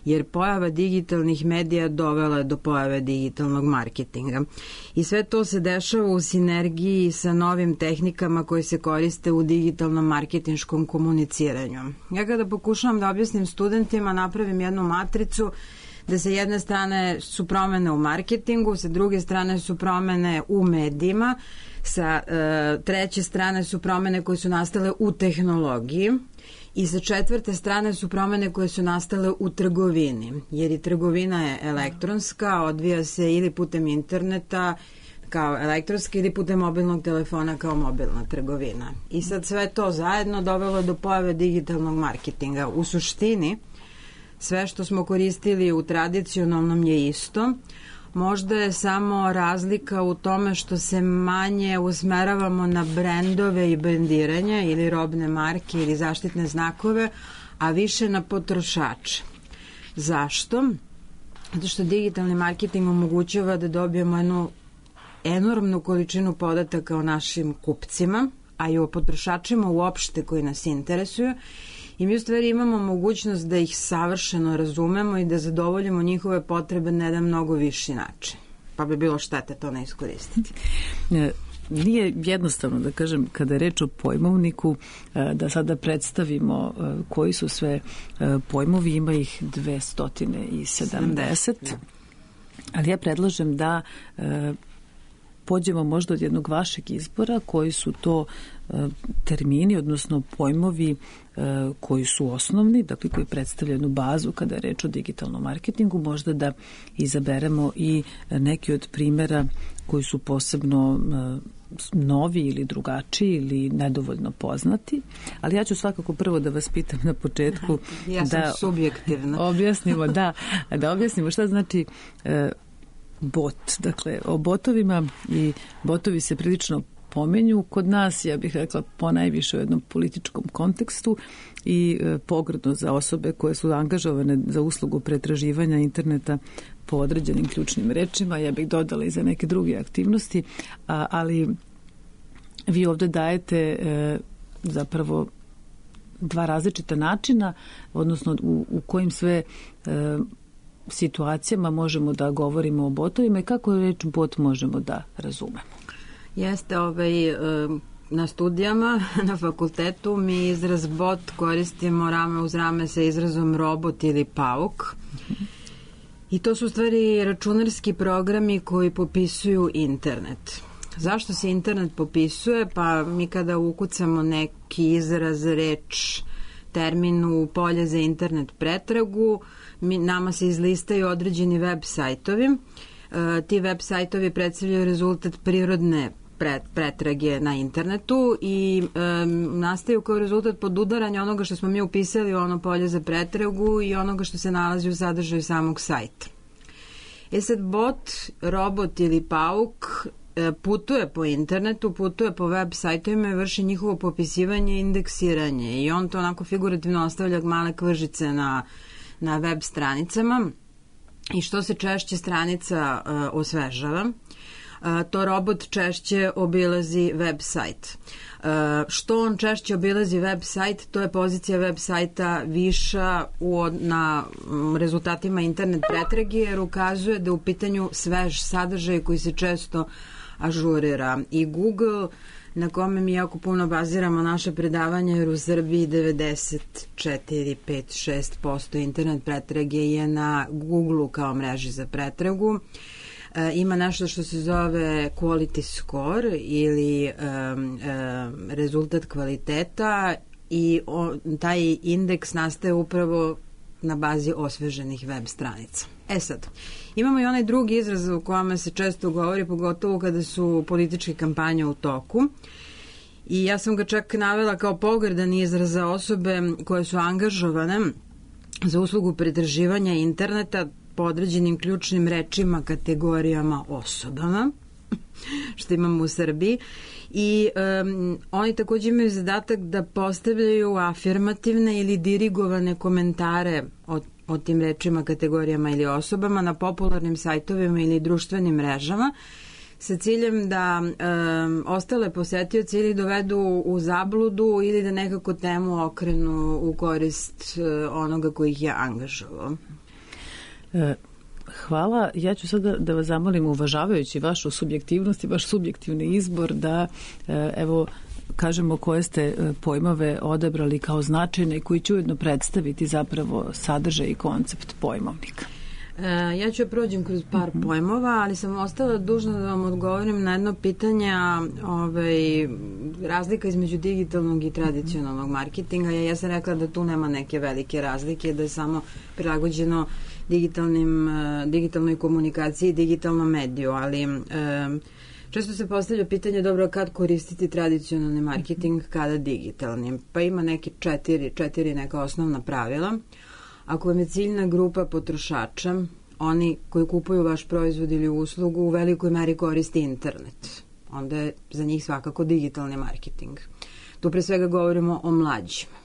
jer pojava digitalnih medija dovela je do pojave digitalnog marketinga. I sve to se dešava u sinergiji sa novim tehnikama koje se koriste u digitalnom marketinškom komuniciranju. Ja kada pokušavam da objasnim studentima, napravim jednu matricu da sa jedne strane su promene u marketingu, sa druge strane su promene u medijima, sa treće strane su promene koje su nastale u tehnologiji, i sa četvrte strane su promene koje su nastale u trgovini, jer i trgovina je elektronska, odvija se ili putem interneta kao elektronska ili putem mobilnog telefona kao mobilna trgovina. I sad sve to zajedno dovelo do pojave digitalnog marketinga. U suštini, sve što smo koristili u tradicionalnom je isto, možda je samo razlika u tome što se manje usmeravamo na brendove i brendiranje ili robne marke ili zaštitne znakove, a više na potrošače. Zašto? Zato što digitalni marketing omogućava da dobijemo jednu enormnu količinu podataka o našim kupcima, a i o potrošačima uopšte koji nas interesuju, i mi u stvari imamo mogućnost da ih savršeno razumemo i da zadovoljimo njihove potrebe na jedan mnogo viši način. Pa bi bilo štete to ne iskoristiti. Nije jednostavno, da kažem, kada je reč o pojmovniku, da sada predstavimo koji su sve pojmovi, ima ih 270, ali ja predlažem da pođemo možda od jednog vašeg izbora, koji su to termini, odnosno pojmovi koji su osnovni, dakle koji predstavljaju jednu bazu kada je reč o digitalnom marketingu, možda da izaberemo i neki od primjera koji su posebno novi ili drugačiji ili nedovoljno poznati, ali ja ću svakako prvo da vas pitam na početku ja sam da subjektivna. Objasnimo, da objasnimo šta znači bot. Dakle, o botovima, i botovi se prilično pomenju kod nas, ja bih rekla ponajviše u jednom političkom kontekstu i pogrdno za osobe koje su angažovane za uslugu pretraživanja interneta po određenim ključnim rečima. Ja bih dodala i za neke druge aktivnosti, ali vi ovde dajete zapravo dva različita načina, odnosno u kojim sve situacijama možemo da govorimo o botovima i kako reč bot možemo da razumemo. Jeste, na studijama, na fakultetu mi izraz bot koristimo rame uz rame sa izrazom robot ili pauk. I to su u stvari računarski programi koji popisuju internet. Zašto se internet popisuje? Pa mi kada ukucamo neki izraz, reč, termin u polje za internet pretragu, nama se izlistaju određeni web sajtovi. Ti web sajtovi predstavljaju rezultat prirodne pretrage na internetu i nastaju kao rezultat podudaranja onoga što smo mi upisali u ono polje za pretragu i onoga što se nalazi u sadržaju samog sajta. Sad bot, robot ili pauk putuje po internetu, putuje po web sajtovima i vrši njihovo popisivanje i indeksiranje i on to onako figurativno ostavlja male kvržice na web stranicama i što se češće stranica osvežava, to robot češće obilazi web sajt. Što on češće obilazi web sajt, to je pozicija web sajta viša na rezultatima internet pretrage, jer ukazuje da je u pitanju svež sadržaj koji se često ažurira. I Google, na kome mi jako puno baziramo naše predavanje, jer u Srbiji 94-5-6% internet pretrage je na Google kao mreži za pretragu. Ima nešto što se zove quality score ili rezultat kvaliteta i taj indeks nastaje upravo na bazi osveženih web stranica. Sad, imamo i onaj drugi izraz u kome se često govori, pogotovo kada su političke kampanje u toku. I ja sam ga čak navela kao pogrdan izraz za osobe koje su angažovane za uslugu pretraživanja interneta po određenim ključnim rečima, kategorijama, osobama, što imamo u Srbiji. I oni takođe imaju zadatak da postavljaju afirmativne ili dirigovane komentare o tim rečima, kategorijama ili osobama na popularnim sajtovima ili društvenim mrežama sa ciljem da ostale posetioci ili dovedu u zabludu ili da nekako temu okrenu u korist onoga koji ih je angažovao. Hvala. Ja ću sada da vas zamolim, uvažavajući vašu subjektivnost i vaš subjektivni izbor, da evo kažemo koje ste pojmove odabrali kao značajne i koji će ujedno predstaviti zapravo sadržaj i koncept pojmovnika. Ja ću prođem kroz par pojmova, ali sam ostala dužna da vam odgovorim na jedno pitanje, razlika između digitalnog i tradicionalnog marketinga. Ja sam rekla da tu nema neke velike razlike, da je samo prilagođeno digitalnoj komunikaciji i digitalnom mediju, ali često se postavlja pitanje, dobro, kad koristiti tradicionalni marketing, kada digitalni? Pa ima neke četiri neka osnovna pravila. Ako vam je ciljna grupa potrošača, oni koji kupuju vaš proizvod ili uslugu u velikoj meri koriste internet, onda je za njih svakako digitalni marketing. Tu pre svega govorimo o mlađima.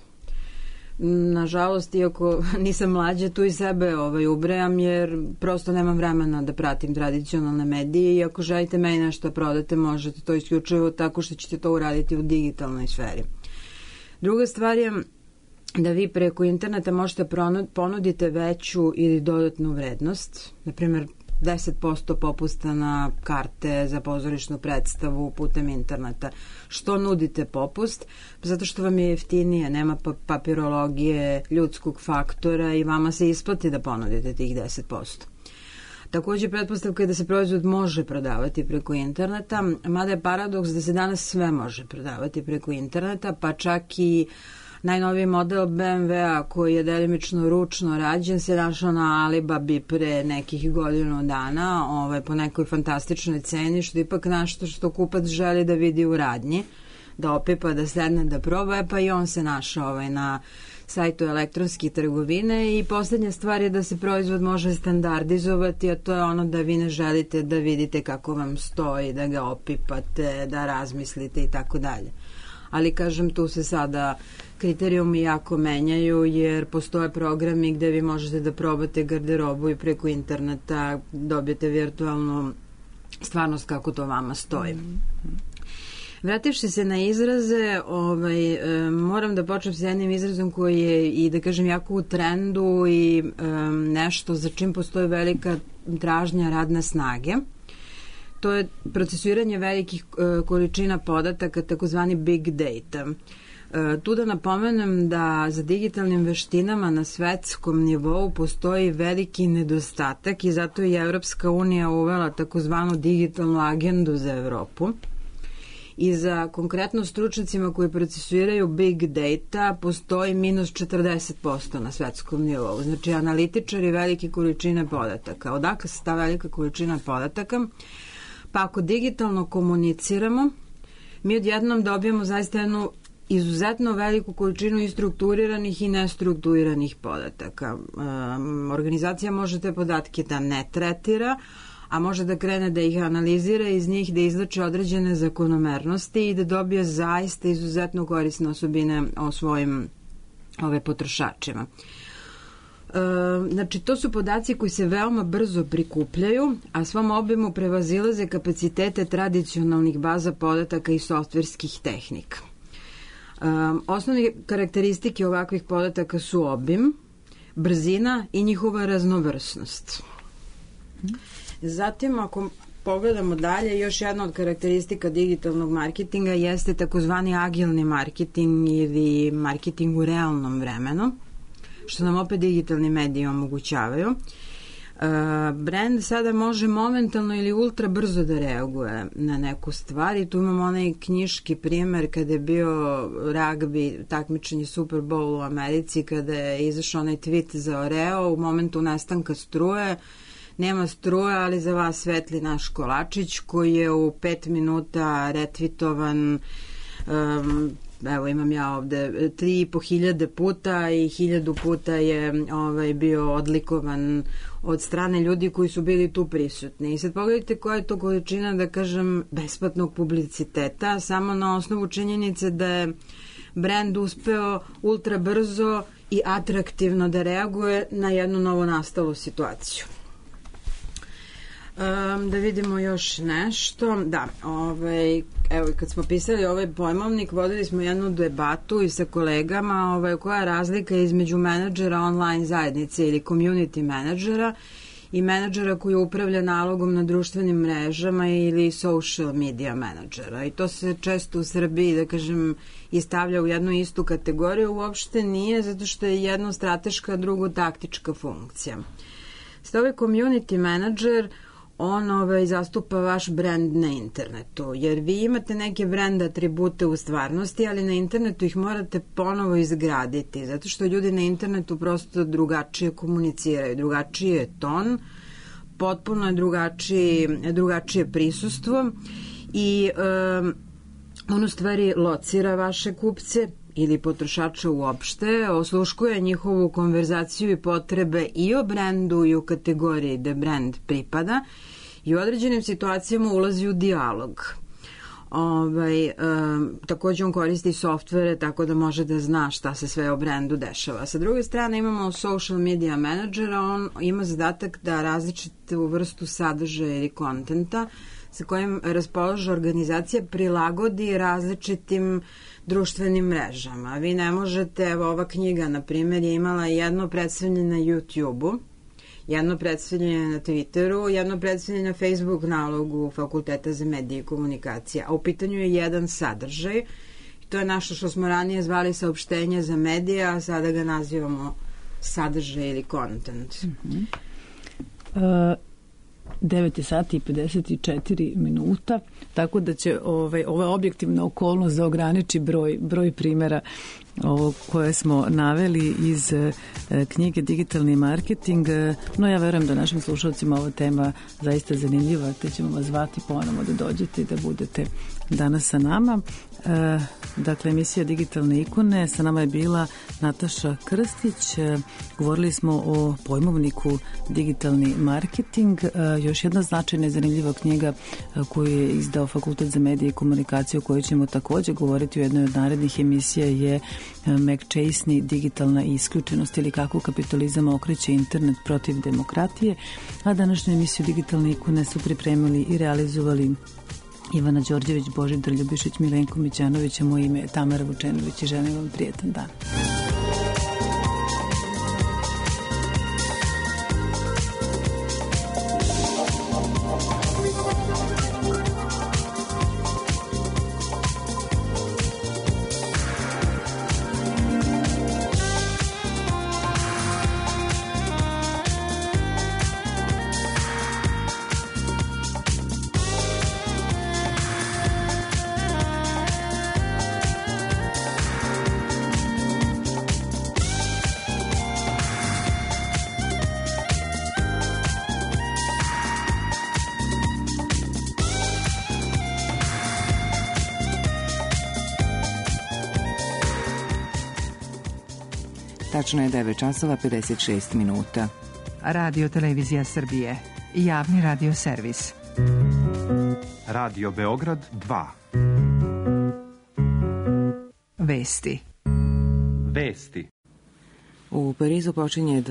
Nažalost, iako nisam mlađa, tu i sebe ubrajam, jer prosto nemam vremena da pratim tradicionalne medije i ako želite meni nešto da prodate, možete to isključivo tako što ćete to uraditi u digitalnoj sferi. Druga stvar je da vi preko interneta možete ponudite veću ili dodatnu vrednost, na primjer 10% popusta na karte za pozorišnu predstavu putem interneta. Što nudite popust? Zato što vam je jeftinije, nema papirologije, ljudskog faktora i vama se isplati da ponudite tih 10%. Takođe, pretpostavka je da se proizvod može prodavati preko interneta, mada je paradoks da se danas sve može prodavati preko interneta, pa čak i najnoviji model BMW-a koji je delimično ručno rađen se našao na Alibabi pre nekih godinu dana po nekoj fantastičnoj ceni, što je ipak nešto što kupac želi da vidi u radnji, da opipa, da sedne, da proba, pa i on se našao na sajtu elektronske trgovine. I poslednja stvar je da se proizvod može standardizovati, a to je ono da vi ne želite da vidite kako vam stoji, da ga opipate, da razmislite i tako dalje. Ali, kažem, tu se sada kriterijumi jako menjaju, jer postoje programi gde vi možete da probate garderobu i preko interneta dobijete virtualnu stvarnost kako to vama stoji. Vrativši se na izraze, moram da počnem sa jednim izrazom koji je i da kažem jako u trendu i nešto za čim postoji velika tražnja radne snage. To je procesuiranje velikih količina podataka, takozvani big data. Tu da napomenem da za digitalnim veštinama na svetskom nivou postoji veliki nedostatak i zato je Evropska unija uvela takozvanu digitalnu agendu za Evropu. I za konkretno stručnicima koji procesuiraju big data postoji minus 40% na svetskom nivou. Znači, analitičari velike količine podataka. Odakle se ta velika količina podataka? Pa ako digitalno komuniciramo, mi odjednom dobijemo zaista jednu izuzetno veliku količinu i strukturiranih i nestrukturiranih podataka. Organizacija može te podatke da ne tretira, a može da krene da ih analizira i iz njih da izlače određene zakonomernosti i da dobije zaista izuzetno korisne osobine o svojim potrošačima. Znači, to su podaci koji se veoma brzo prikupljaju, a svom obimu prevazilaze kapacitete tradicionalnih baza podataka i softverskih tehnika. Osnovne karakteristike ovakvih podataka su obim, brzina i njihova raznovrsnost. Zatim, ako pogledamo dalje, još jedna od karakteristika digitalnog marketinga jeste takozvani agilni marketing ili marketing u realnom vremenu, što nam opet digitalni mediji omogućavaju. Brand sada može momentalno ili ultra brzo da reaguje na neku stvar i tu imamo onaj knjiški primer kada je bio ragbi, takmičenje Super Bowl u Americi, kada je izašao onaj tweet za Oreo u momentu nestanka struje. Nema struje, ali za vas svetli naš kolačić koji je u 5 minuta retvitovan, evo imam ja ovde 3.500 puta i 1000 puta je bio odlikovan od strane ljudi koji su bili tu prisutni. I sad pogledajte koja je to količina, da kažem, besplatnog publiciteta, samo na osnovu činjenice da je brand uspeo ultra brzo i atraktivno da reaguje na jednu novonastalu situaciju. Da vidimo još nešto. Da, evo, kad smo pisali ovaj pojmovnik, vodili smo jednu debatu i sa kolegama koja je razlika između menadžera online zajednice ili community menadžera i menadžera koji upravlja nalogom na društvenim mrežama ili social media menadžera. I to se često u Srbiji, da kažem, i stavlja u jednu istu kategoriju. Uopšte nije, zato što je jedno strateška, drugo taktička funkcija. Sada ovaj community menadžer, on zastupa vaš brand na internetu, jer vi imate neke brand atribute u stvarnosti, ali na internetu ih morate ponovo izgraditi, zato što ljudi na internetu prosto drugačije komuniciraju, drugačiji je ton, potpuno je drugačije prisustvo i on u stvari locira vaše kupce ili potrošača uopšte, osluškuje njihovu konverzaciju i potrebe i o brendu i u kategoriji gde brend pripada i u određenim situacijama ulazi u dijalog. Takođe on koristi softvere tako da može da zna šta se sve o brendu dešava. Sa druge strane imamo social media menadžera, on ima zadatak da različitu vrstu sadržaja ili kontenta sa kojim raspolaže organizacija prilagodi različitim društvenim mrežama. Vi ne možete, evo ova knjiga, na primjer, je imala jedno predstavljanje na YouTube-u, jedno predstavljanje na Twitteru, jedno predstavljanje na Facebook nalogu Fakulteta za medije i komunikacije, a u pitanju je jedan sadržaj. To je nešto što smo ranije zvali saopštenje za medije, a sada ga nazivamo sadržaj ili content. 9 sati i 54 minuta, tako da će ova objektivna okolnost da ograniči broj primjera koje smo naveli iz knjige Digitalni marketing, no ja verujem da našim slušalcima ova tema zaista zanimljiva, te ćemo vas zvati ponovo da dođete i da budete danas sa nama. Dakle, emisija Digitalne ikone, sa nama je bila Nataša Krstić, govorili smo o pojmovniku Digitalni marketing, još jedna značajna i zanimljiva knjiga koju je izdao Fakultet za medije i komunikaciju, o kojoj ćemo takođe govoriti u jednoj od narednih emisija, je McChesney, Digitalna isključenost ili kako kapitalizam okreće internet protiv demokratije, a današnju emisiju Digitalne ikone su pripremili i realizovali Ivana Đorđević, Božidar Ljubišić, Milenko Mićanović, a moje ime je Tamara Vučenović i želim vam prijetan dan. Tačno je 9 časova 56 minuta. Radio Televizija Srbije. Javni radio servis. Radio Beograd 2. Vesti. Vesti. U Parizu počinje